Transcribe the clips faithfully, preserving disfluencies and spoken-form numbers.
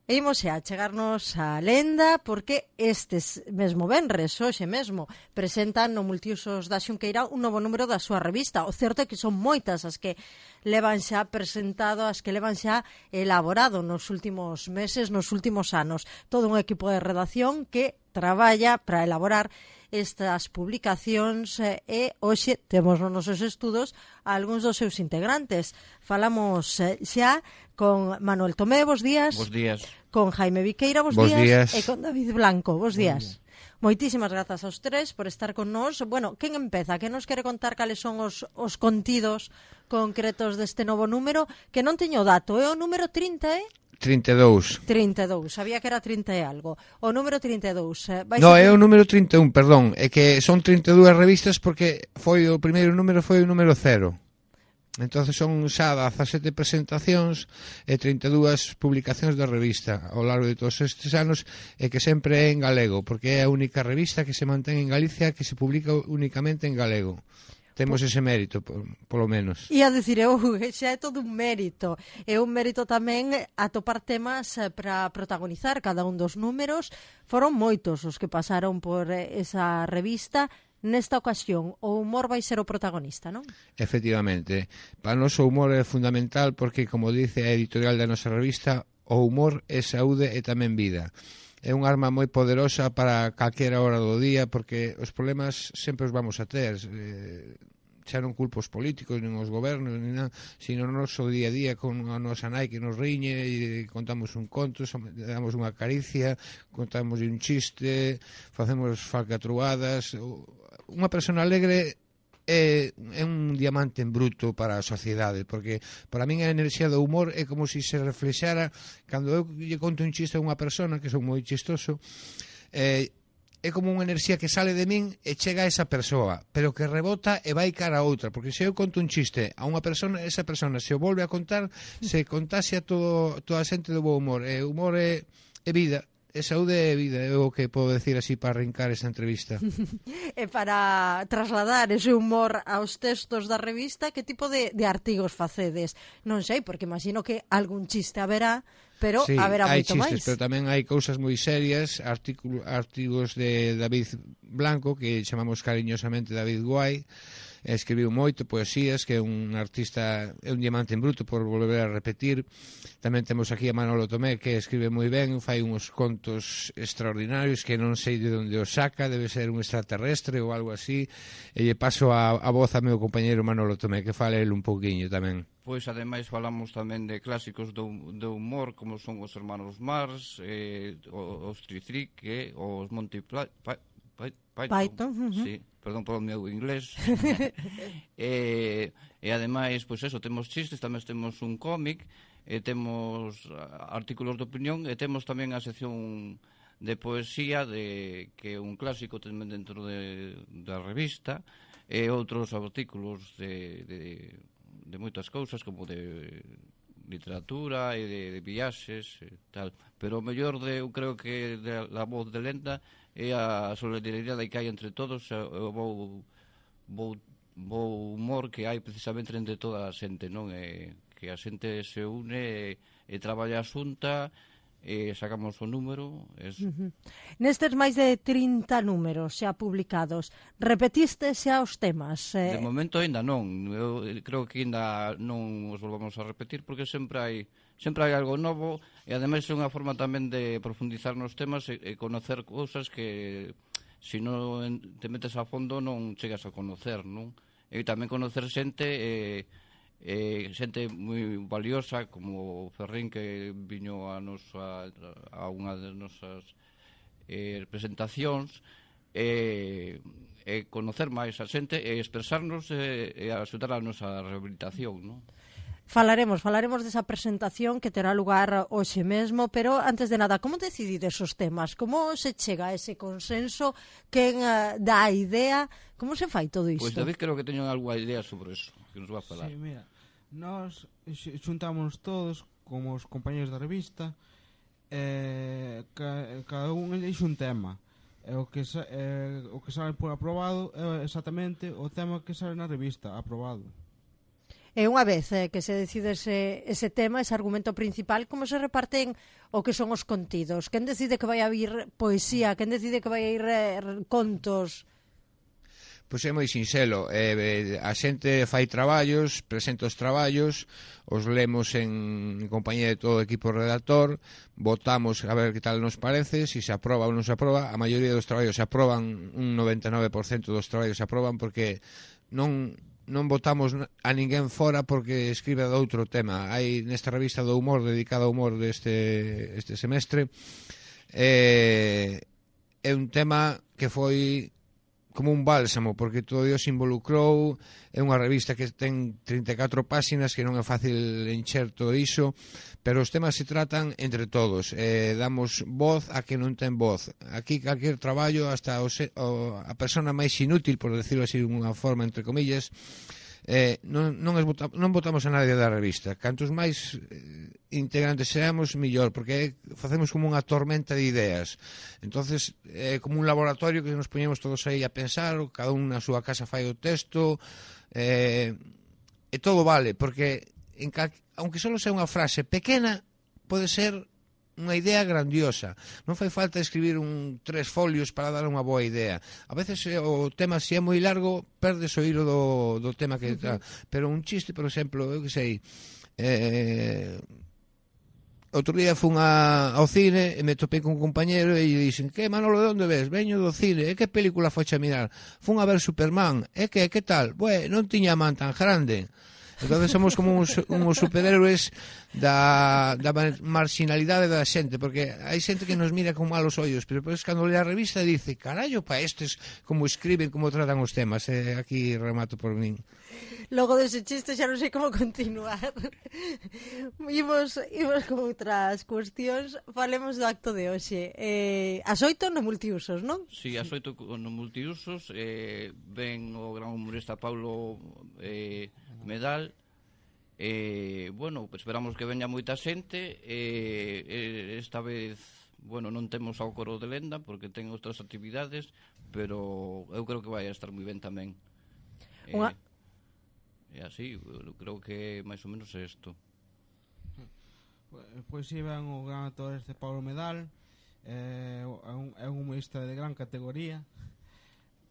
E imos xa chegarnos a lenda porque estes mesmo venres, hoxe mesmo, presentan no Multiusos da Xunqueira un novo número da súa revista. O certo é que son moitas as que levan xa presentado, as que levan xa elaborado nos últimos meses, nos últimos anos. Todo un equipo de redacción que traballa para elaborar estas publicacións eh, e hoxe temos nos nosos estudos algúns dos seus integrantes. Falamos eh, xa con Manuel Tomé, bos días. Bos días. Con Jaime Viqueira, bos, bos días. días. E con David Blanco, bos días. Moitísimas grazas aos tres por estar con nós. Bueno, quen empeza? Quen nos quere contar cales son os, os contidos concretos deste novo número? Que non teño dato, é o número trinta, eh? trinta e dous. trinta e dous, sabía que era trinta e algo. O número trinta e dous. Eh, No, ser... é o número trinta e un, perdón. É que son trinta e dúas revistas porque foi o primeiro número foi o número cero. Entonces son xa dezasete presentacións e trinta e dúas publicacións da revista ao largo de todos estes anos e que sempre é en galego, porque é a única revista que se mantén en Galicia que se publica únicamente en galego. Temos ese mérito, por, polo menos. E a dicir, eu, xa é todo un mérito. É un mérito tamén atopar temas para protagonizar cada un dos números. Foron moitos os que pasaron por esa revista. Nesta ocasión, o humor vai ser o protagonista, non? Efectivamente. Para nós o humor é fundamental porque, como dice a editorial da nosa revista, o humor é saúde e tamén vida. É un arma moi poderosa para calquera hora do día porque os problemas sempre os vamos a ter. Eh, xa non culpo os políticos, nin os gobernos, nin nada, sino no noso día a día con a nosa nai que nos riñe e contamos un conto, damos unha caricia, contamos un chiste, facemos falcatruadas. Unha persona alegre é, é un diamante en bruto para a sociedade, porque para min a enerxía do humor é como se se reflexara cando eu lle conto un chiste a unha persona, que son moi chistoso, eh, é como unha enerxía que sale de min e chega a esa persoa, pero que rebota e vai cara a outra, porque se eu conto un chiste a unha persona, esa persona se o volve a contar, se contaxia todo, toda a xente do bo humor. E humor é, é vida. E saúde e vida, é o que podo decir así para arrincar esa entrevista. E para trasladar ese humor aos textos da revista, que tipo de, de artigos facedes? Non sei, porque imagino que algún chiste haberá, pero sí, haberá hai moito chistes, máis. Pero tamén hai cousas moi serias, artículo, artigos de David Blanco, que chamamos cariñosamente David Guai, escribiu moito, poesías, que é un artista, é un diamante en bruto, por volver a repetir. Tamén temos aquí a Manolo Tomé, que escribe moi ben, fai uns contos extraordinarios que non sei de onde os saca, debe ser un extraterrestre ou algo así, e lle paso a, a voz a meu compañeiro Manolo Tomé, que fale el un pouquiño tamén. Pois, ademais, falamos tamén de clásicos do, do humor, como son os Hermanos Mars, eh, os Tritrique, os Monty Python, Python, uh-huh. Sí, perdón polo meu inglés. e, e ademais, pois eso, temos chistes, tamén temos un cómic, e temos artículos de opinión, e temos tamén a sección de poesía, de que é un clásico tamén dentro de, da revista, e outros artículos de, de, de moitas cousas, como de literatura e de, de viaxes e tal. Pero o mellor de, eu creo que de la voz de lenda é a solidaridade que hai entre todos, o bo, bo, bo humor que hai precisamente entre toda a xente, non? E que a xente se une e, e traballa xunta e sacamos o número. Es... Uh-huh. Nestes máis de trinta números xa publicados, repetiste xa os temas? Eh... De momento ainda non. Eu creo que ainda non os volvamos a repetir porque sempre hai sempre hai algo novo e ademais é unha forma tamén de profundizar nos temas e, e conocer cousas que se non te metes a fondo non chegas a conocer, non? E tamén conocer xente e, e xente moi valiosa como Ferrín, que viño a, nosa, a unha das nosas eh, presentacións, e, e conocer máis a xente e expresarnos e, e axudar a nosa rehabilitación, non? Falaremos, falaremos desa presentación que terá lugar hoxe mesmo, pero antes de nada, como decidides os temas? Como se chega a ese consenso? Quen uh, dá a idea? Como se fai todo isto? Pois David creo que teño algunha idea sobre eso, que nos va a falar. Sí, mira, nós xuntámonos todos como os compañeros da revista, eh, ca, cada un elixe un tema. E o que sa, eh, o que sale por aprobado é exactamente o tema que sale na revista, aprobado. E unha vez eh, que se decide ese, ese tema, ese argumento principal, como se reparten o que son os contidos? Quen decide que vai a vir poesía? Quen decide que vai a ir eh, contos? Pois é moi sinxelo, eh, a xente fai traballos, presenta os traballos, os lemos en, en compañía de todo o equipo redactor, votamos a ver que tal nos parece, se se aproba ou non se aproba. A maioría dos traballos se aproban, un noventa e nove por cento dos traballos se aproban porque non non votamos a ninguén fora porque escribe de outro tema. Hai nesta revista do humor, dedicada ao humor deste este semestre, eh, é un tema que foi como un bálsamo, porque todo Dios se involucrou. É unha revista que ten trinta e catro páxinas, que non é fácil encher todo iso, pero os temas se tratan entre todos, eh, damos voz a que non ten voz. Aquí calquer traballo, hasta o, o, a persona máis inútil, por decirlo así de unha forma, entre comillas, eh, non, non, es, non votamos a nadie da revista. Cantos máis eh, integrantes seamos, millor, porque facemos como unha tormenta de ideas. Entonces é eh, como un laboratorio que nos poñemos todos aí a pensar, cada un na súa casa fai o texto, eh, e todo vale, porque en ca... aunque só sea unha frase pequena, pode ser unha idea grandiosa. Non fai falta escribir un tres folios para dar unha boa idea. A veces o tema, se é moi largo, perdes o hilo do, do tema que está. Uh-huh. Pero un chiste, por exemplo, eu que sei, eh, outro día fun a, ao cine e me topei con un compañero e lle dixen: que, Manolo, de onde ves? Veño do cine. E que película foche a mirar? Fun a ver Superman. E que, que tal? Bue, non tiña man tan grande. Entonces somos como uns, uns superhéroes da, da marginalidade da xente, porque hai xente que nos mira con malos ollos, pero depois cando lea a revista dice: carallo, pa estes como escriben, como tratan os temas. E aquí remato por min. Logo dese chiste xa non sei como continuar. Imos, imos con outras cuestións. Falemos do acto de hoxe. Eh, as oito no multiusos, non? Si, sí, as oito no multiusos. Eh, ven o gran humorista Paulo eh, Medal. Eh, bueno, esperamos que veña moita xente. Eh, esta vez, bueno, non temos ao coro de Lenda porque ten outras actividades, pero eu creo que vai a estar moi ben tamén. Unha... Eh, E así, eu creo que máis ou menos é isto. Pois si ven o gran actor este Paulo Medal, eh, é, un, é un humorista de gran categoría,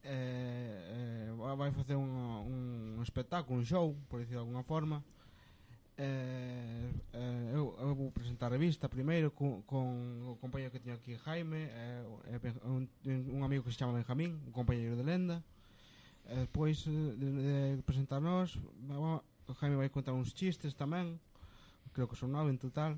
eh, eh, vai facer un, un espectáculo, un show, por dicirlo de alguna forma. Eh, eh, eu, eu vou presentar a revista primeiro con, con o compañero que teño aquí, Jaime, eh, un, un amigo que se chama Benjamín, un compañero de Lenda. E despois de, de presentarnos, o Jaime vai contar uns chistes tamén, creo que son nove en total.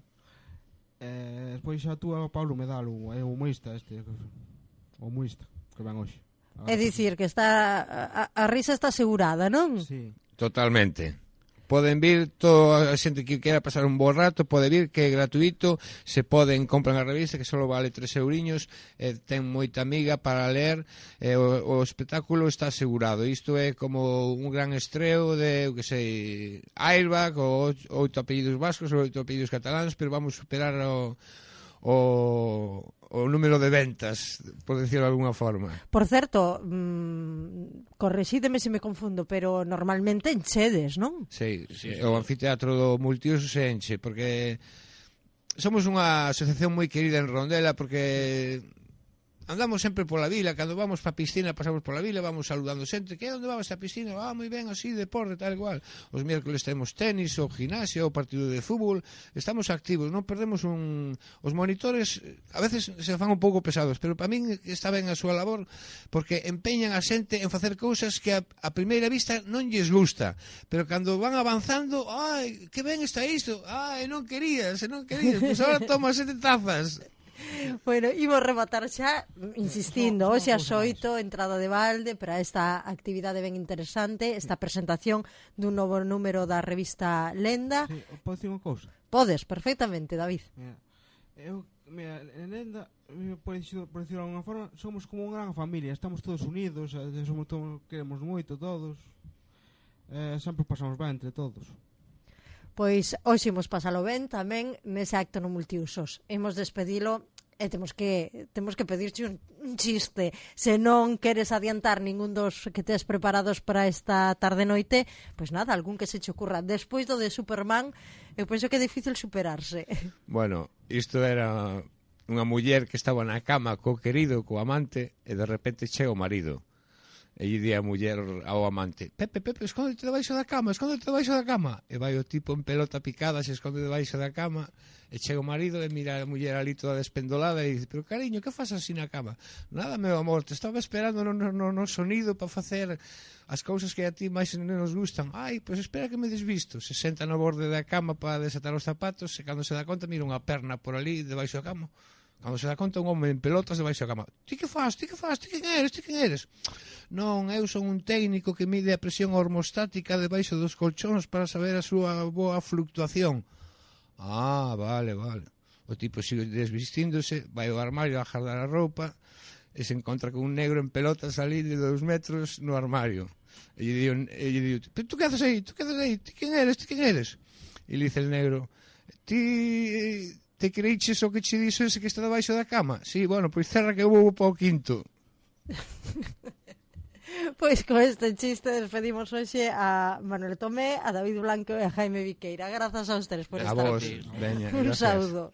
E despois xa tú o Paulo Medal, o humorista este, o humorista que ven hoxe. É dicir que está a, a risa está asegurada, non? Sí. Totalmente. Poden vir toda a xente que quera pasar un bo rato, pode vir, que é gratuito, se poden comprar a revista que só vale tres euriños, eh, ten moita amiga para ler, eh, o, o espectáculo está asegurado. Isto é como un gran estreo de, que sei, Airbag, ou oito apellidos vascos ou oito apellidos cataláns, pero vamos superar o o, o número de ventas, por decirlo de alguna forma. Por certo, mmm, correxídeme se me confundo, pero normalmente enchedes, non? Sí, sí, sí, o anfiteatro do multiuso se enche, porque somos unha asociación moi querida en Rondela, porque andamos sempre pola vila, cando vamos pa piscina pasamos pola vila, vamos saludando xente, que onde va esta piscina? Ah, moi ben, así, deporte, tal igual. Os miércoles temos tenis, o gimnasio, o partido de fútbol, estamos activos, non perdemos un... Os monitores a veces se fan un pouco pesados, pero para min está ben a súa labor, porque empeñan a xente en facer cousas que a, a primeira vista non lles gusta, pero cando van avanzando, ai, que ben está isto, ai, non querías, non querías, pois agora toma sete tazas. Bueno, imos rematar xa insistindo, hoxe as oito, entrada de balde para esta actividade ben interesante, esta presentación dun novo número da revista Lenda. Sí, podes dicir unha cousa? Podes, perfectamente, David. Mira, eu, mira, en Lenda, por decirlo de alguna forma, somos como unha gran familia, estamos todos unidos, somos todos, queremos moito todos, eh, sempre pasamos ben entre todos. Pois hoxe imos pasalo ben tamén nese acto no multiusos. Imos despedilo e temos que temos que pedirche un, un chiste. Se non queres adiantar ningún dos que tes preparados para esta tarde-noite, pois nada, algún que se che ocurra. Despois do de Superman, eu penso que é difícil superarse. Bueno, isto era unha muller que estaba na cama co querido, co amante, e de repente chega o marido. E lle di a muller ao amante: Pepe, Pepe, escóndete debaixo da cama, escóndete debaixo da cama. E vai o tipo en pelota picada, se esconde debaixo da cama. E chega o marido e mira a muller ali toda despendolada e dice: pero cariño, que faz así na cama? Nada, meu amor, te estaba esperando no, no, no sonido para facer as cousas que a ti máis nos gustan. Ai, pois espera que me desvisto. Se senta no borde da cama para desatar os zapatos e cando se dá conta mira unha perna por ali debaixo da cama. Cando se dá conta un home en pelotas debaixo da cama. Ti que faz? Ti que faz? Ti quen eres? Ti quen eres? Non, eu son un técnico que mide a presión hormostática debaixo dos colchóns para saber a súa boa fluctuación. Ah, vale, vale. O tipo sigue desvistíndose, vai ao armario a jardar a roupa e se encontra con un negro en pelotas ali de dos metros no armario. E lle digo, e lle digo: pero tú que haces aí? Tú que haces aí? Ti quen eres? Ti quen eres? E le dice el negro: ti te creiches o que che dixo ese que está debaixo da cama? Sí, bueno, pois cerra que eu vou para o quinto. Pois con este chiste despedimos hoxe a Manuel Tomé, a David Blanco e a Jaime Viqueira. Grazas a ustedes por A estar vos, aquí. veña, Un gracias. saúdo.